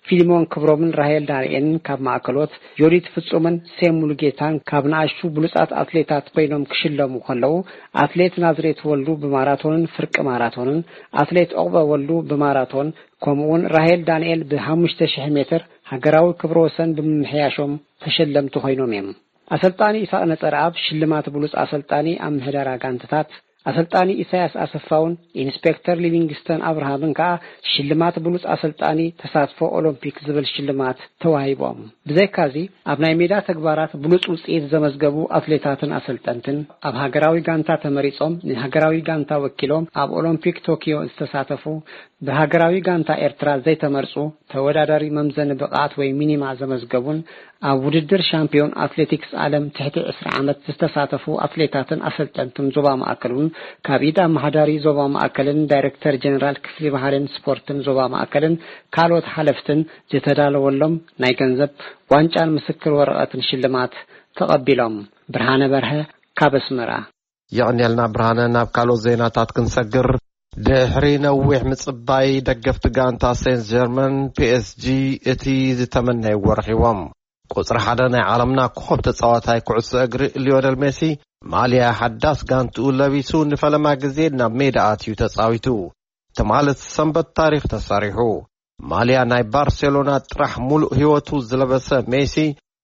ፊሊሞን ክብሮምን ራሄል ዳንኤልን ካብ ማእከሎት፣ ዮዲት ፍጹምን ሴም ሙሉጌታን ካብ ንኣሽቱ ብሉጻት ኣትሌታት ኮይኖም ክሽለሙ ከለዉ፣ ኣትሌት ናዝሬት ወልዱ ብማራቶንን ፍርቂ ማራቶንን፣ ኣትሌት ዑቕበ ወልዱ ብማራቶን፣ ከምኡውን ራሄል ዳንኤል ብሓሙሽተ ሽሕ ሜትር ሃገራዊ ክብረ ወሰን ብምምሕያሾም ተሸለምቲ ኮይኖም እዮም። ኣሰልጣኒ ይስሐቅ ነጸረኣብ ሽልማት ብሉጽ ኣሰልጣኒ ኣብ ምሕደራ ጋንታታት፣ ኣሰልጣኒ ኢሳያስ ኣሰፋውን ኢንስፔክተር ሊቪንግስተን ኣብርሃምን ከኣ ሽልማት ብሉጽ ኣሰልጣኒ ተሳትፎ ኦሎምፒክ ዝብል ሽልማት ተዋሂቦም። ብዘይካዚ ኣብ ናይ ሜዳ ተግባራት ብሉጽ ውጽኢት ዘመዝገቡ ኣትሌታትን ኣሰልጠንትን ኣብ ሃገራዊ ጋንታ ተመሪጾም ንሃገራዊ ጋንታ ወኪሎም ኣብ ኦሎምፒክ ቶኪዮ ዝተሳተፉ ብሃገራዊ ጋንታ ኤርትራ ዘይተመርጹ፣ ተወዳዳሪ መምዘኒ ብቕዓት ወይ ሚኒማ ዘመዝገቡን ኣብ ውድድር ሻምፒዮን ኣትሌቲክስ ዓለም ትሕቲ ዕስራ ዓመት ዝተሳተፉ ኣሰልጠንትን ኣሰልጠንትን ዞባ ማእከል እውን ካብ ኢድ ኣመሓዳሪ ዞባ ማእከልን ዳይሬክተር ጀነራል ክፍሊ ባህልን ስፖርትን ዞባ ማእከልን ካልኦት ሓለፍትን ዝተዳለወሎም ናይ ገንዘብ ዋንጫን ምስክር ወረቐትን ሽልማት ተቐቢሎም። ብርሃነ በርሀ ካብ ኣስመራ። የቐንየልና ብርሃነ። ናብ ካልኦት ዜናታት ክንሰግር፣ ድሕሪ ነዊሕ ምጽባይ፣ ደገፍቲ ጋንታ ሴንት ጀርመን፣ ፒ ኤስ ጂ፣ እቲ ዝተመነይዎ ረኺቦም። ቁጽሪ ሓደ ናይ ዓለምና ኮኸብ ተጻዋታይ ኩዕሶ እግሪ ሊዮነል ሜሲ፣ ማልያ ሓዳስ ጋንትኡ ለቢሱ፣ ንፈለማ ግዜ ናብ ሜዳ ኣትዩ ተጻዊቱ። ትማሊ ሰንበት ታሪኽ ተሰሪሑ። ማልያ ናይ ባርሴሎና ጥራሕ ሙሉእ ህይወቱ ዝለበሰ ሜሲ፣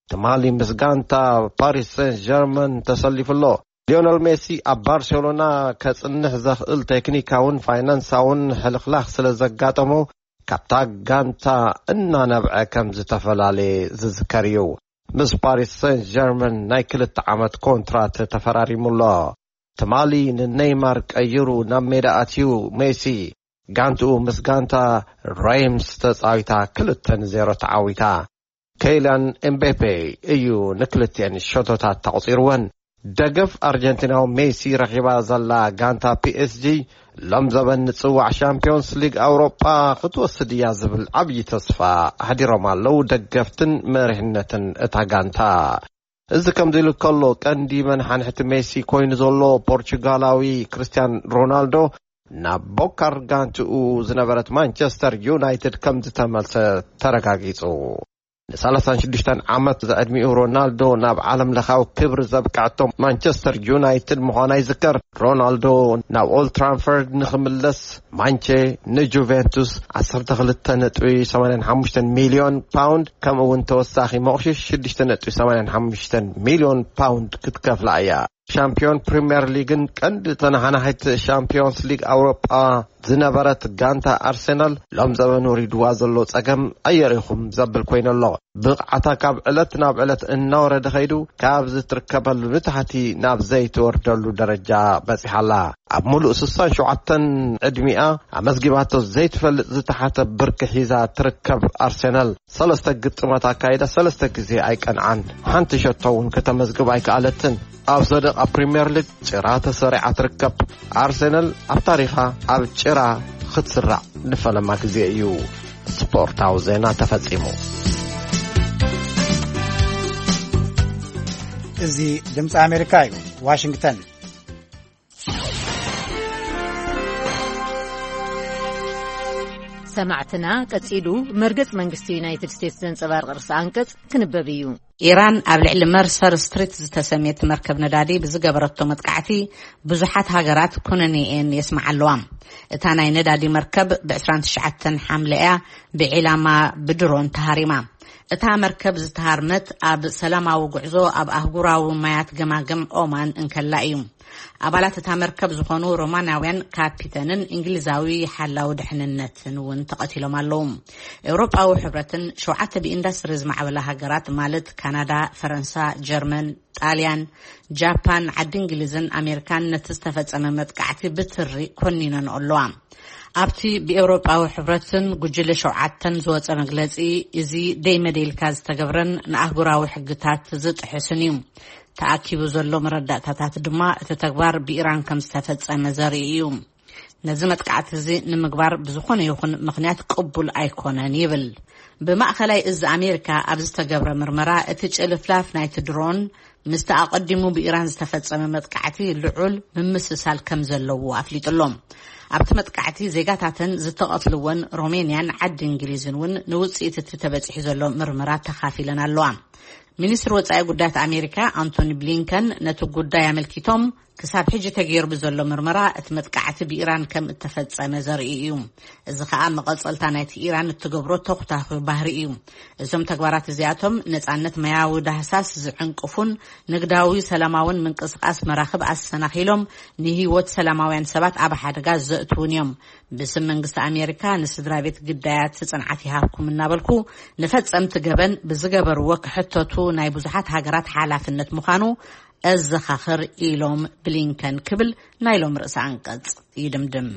ትማሊ ምስ ጋንታ ፓሪስ ሴንት ጀርመን ተሰሊፉ ኣሎ። ሊዮነል ሜሲ ኣብ ባርሴሎና ከጽንሕ ዘኽእል ቴክኒካውን ፋይናንሳውን ሕልኽላኽ ስለ ዘጋጠሞ፣ ካብታ ጋንታ እናነብዐ ከም ዝተፈላለየ ዝዝከር እዩ። ምስ ፓሪስ ሴንት ጀርመን ናይ ክልተ ዓመት ኮንትራት ተፈራሪሙ ኣሎ። ትማሊ ንኔይማር ቀይሩ ናብ ሜዳ ኣትዩ ሜሲ፣ ጋንትኡ ምስ ጋንታ ሬምስ ተጻዊታ ክልተ ንዜሮ ተዓዊታ። ኬይላን ኤምቤፔ እዩ ንክልቲኤን ሸቶታት ተቑጺርወን። ደገፍ ኣርጀንቲናዊ ሜሲ ረኺባ ዘላ ጋንታ ፒ ኤስ ጂ፣ ሎም ዘበን ንጽዋዕ ሻምፒዮንስ ሊግ ኣውሮጳ ክትወስድ እያ ዝብል ዓብዪ ተስፋ ኣሕዲሮም ኣለዉ ደገፍትን መሪሕነትን እታ ጋንታ። እዚ ከምዚ ኢሉ ከሎ፣ ቀንዲ መንሓንሕቲ ሜሲ ኮይኑ ዘሎ ፖርቹጋላዊ ክርስቲያን ሮናልዶ ናብ ቦካር ጋንትኡ ዝነበረት ማንቸስተር ዩናይትድ ከም ዝተመልሰ ተረጋጊጹ። ን ሰላሳን ሽዱሽተን ዓመት ዝዕድሚኡ ሮናልዶ ናብ ዓለም ለኻዊ ክብሪ ዘብቅዐቶ ማንቸስተር ዩናይትድ ምዃና ይዝከር። ሮናልዶ ናብ ኦልድ ትራንፈርድ ንኽምለስ ማንቼ ንጁቬንቱስ ዓሰርተ ክልተ ነጥቢ ሰማንያን ሓሙሽተን ሚልዮን ፓውንድ፣ ከምኡ እውን ተወሳኺ መቑሽሽ ሽዱሽተ ነጥቢ ሰማንያን ሓሙሽተ ሚልዮን ፓውንድ ክትከፍላ እያ። ሻምፒዮን ፕሪምየር ሊግን ቀንዲ ተነሓናሒት ሻምፒዮንስ ሊግ ኣውሮጳ ዝነበረት ጋንታ ኣርሴናል፣ ሎም ዘበን ወሪድዋ ዘሎ ጸገም ኣየሪኹም ዘብል ኮይኑ ኣሎ። ብቕዓታ ካብ ዕለት ናብ ዕለት እናወረደ ኸይዱ፣ ካብዚ ትርከበሉ ንታሕቲ ናብ ዘይትወርደሉ ደረጃ በጺሓ ኣላ። ኣብ ሙሉእ ስሳን ሸውዓተን ዕድሚኣ ኣመዝጊባቶ ዘይትፈልጥ ዝተሓተ ብርኪ ሒዛ ትርከብ ኣርሴናል፣ ሰለስተ ግጥማት ኣካይዳ ሰለስተ ግዜ ኣይቀንዓን። ሓንቲ ሸቶ እውን ከተመዝግብ ኣይከኣለትን። ኣብ ዘደቓ ፕሪምየር ሊግ ጭራ ተሰሪዓ ትርከብ። ኣርሴናል ኣብ ታሪኻ ኣብ ጭራ ክትስራዕ ንፈለማ ግዜ እዩ። ስፖርታዊ ዜና ተፈጺሙ። እዚ ድምፂ ኣሜሪካ እዩ፣ ዋሽንግተን። ሰማዕትና፣ ቀጺሉ መርገጽ መንግስቲ ዩናይትድ ስቴትስ ዘንጸባርቕ ርእሰ ኣንቀጽ ክንበብ እዩ። ኢራን ኣብ ልዕሊ መርሰር ስትሪት ዝተሰምየት መርከብ ነዳዲ ብዝገበረቶ መጥቃዕቲ ብዙሓት ሃገራት ኩነኔኤን የስምዓ ኣለዋ። እታ ናይ ነዳዲ መርከብ ብ ዕስራን ትሽዓተን ሓምለ እያ ብዒላማ ብድሮን ተሃሪማ። እታ መርከብ ዝተሃርመት ኣብ ሰላማዊ ጉዕዞ ኣብ ኣህጉራዊ ማያት ገማግም ኦማን እንከላ እዩ። ኣባላት እታ መርከብ ዝኾኑ ሮማናውያን ካፒተንን እንግሊዛዊ ሓላዊ ድሕንነትን እውን ተቐቲሎም ኣለዉ። ኤውሮጳዊ ሕብረትን ሸውዓተ ብኢንዳስትሪ ዝማዕበላ ሃገራት ማለት ካናዳ፣ ፈረንሳ፣ ጀርመን፣ ጣልያን፣ ጃፓን፣ ዓዲ እንግሊዝን ኣሜሪካን ነቲ ዝተፈጸመ መጥቃዕቲ ብትሪ ኮኒነን ኣለዋ። ኣብቲ ብኤውሮጳዊ ሕብረትን ጉጅለ ሸውዓተን ዝወጸ መግለጺ፣ እዚ ደይ መደይ ኢልካ ዝተገብረን ንኣህጉራዊ ሕግታት ዝጥሕስን እዩ። ተኣኪቡ ዘሎ መረዳእታታት ድማ እቲ ተግባር ብኢራን ከም ዝተፈጸመ ዘርኢ እዩ። ነዚ መጥቃዕቲ እዚ ንምግባር ብዝኾነ ይኹን ምኽንያት ቅቡል ኣይኮነን ይብል። ብማእኸላይ እዚ ኣሜሪካ ኣብ ዝተገብረ ምርመራ፣ እቲ ጭልፍላፍ ናይቲ ድሮን ምስቲ ኣቐዲሙ ብኢራን ዝተፈጸመ መጥቃዕቲ ልዑል ምምስሳል ከም ዘለዎ ኣፍሊጡ ኣሎ። ኣብቲ መጥቃዕቲ ዜጋታተን ዝተቐትልወን ሮሜንያን ዓዲ እንግሊዝን እውን ንውጽኢት እቲ ተበጺሑ ዘሎ ምርመራ ተኻፊለን ኣለዋ። ሚኒስትሪ ወጻኢ ጉዳያት ኣሜሪካ ኣንቶኒ ብሊንከን ነቲ ጉዳይ ኣመልኪቶም፣ ክሳብ ሕጂ ተገይሩ ብዘሎ ምርመራ እቲ መጥቃዕቲ ብኢራን ከም እተፈጸመ ዘርኢ እዩ። እዚ ኸኣ መቐጸልታ ናይቲ ኢራን እትገብሮ ተኹታኹ ባህሪ እዩ። እዞም ተግባራት እዚኣቶም ነጻነት ማያዊ ዳህሳስ ዝዕንቅፉን ንግዳዊ ሰላማውን ምንቅስቓስ መራኽብ ኣሰናኺሎም ንህይወት ሰላማውያን ሰባት ኣብ ሓደጋ ዘእትዉን እዮም። ብስም መንግስቲ ኣሜሪካ ንስድራ ቤት ግዳያት ጽንዓት ይሃብኩም እናበልኩ፣ ንፈጸምቲ ገበን ብዝገበርዎ ክሕተቱ ናይ ብዙሓት ሃገራት ሓላፍነት ምዃኑ ኣዘኻኽር ኢሎም ብሊንከን ክብል ናይ ሎም ርእሰ ኣንቀጽ ይድምድም።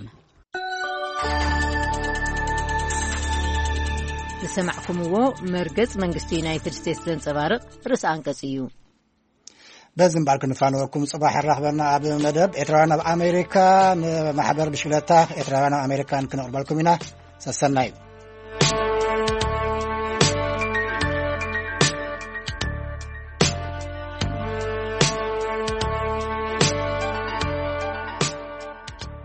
ዝሰማዕኩምዎ መርገጽ መንግስቲ ዩናይትድ ስቴትስ ዘንጸባርቕ ርእሰ ኣንቀጽ እዩ። በዚ እምበኣር ክንፋነወኩም፣ ጽባሕ ኣራኽበና ኣብ መደብ ኤርትራውያን ኣብ ኣሜሪካ። ንማሕበር ብሽክለታ ኤርትራውያን ኣብ ኣሜሪካን ክነቕርበልኩም ኢና። ሰሰናዩ።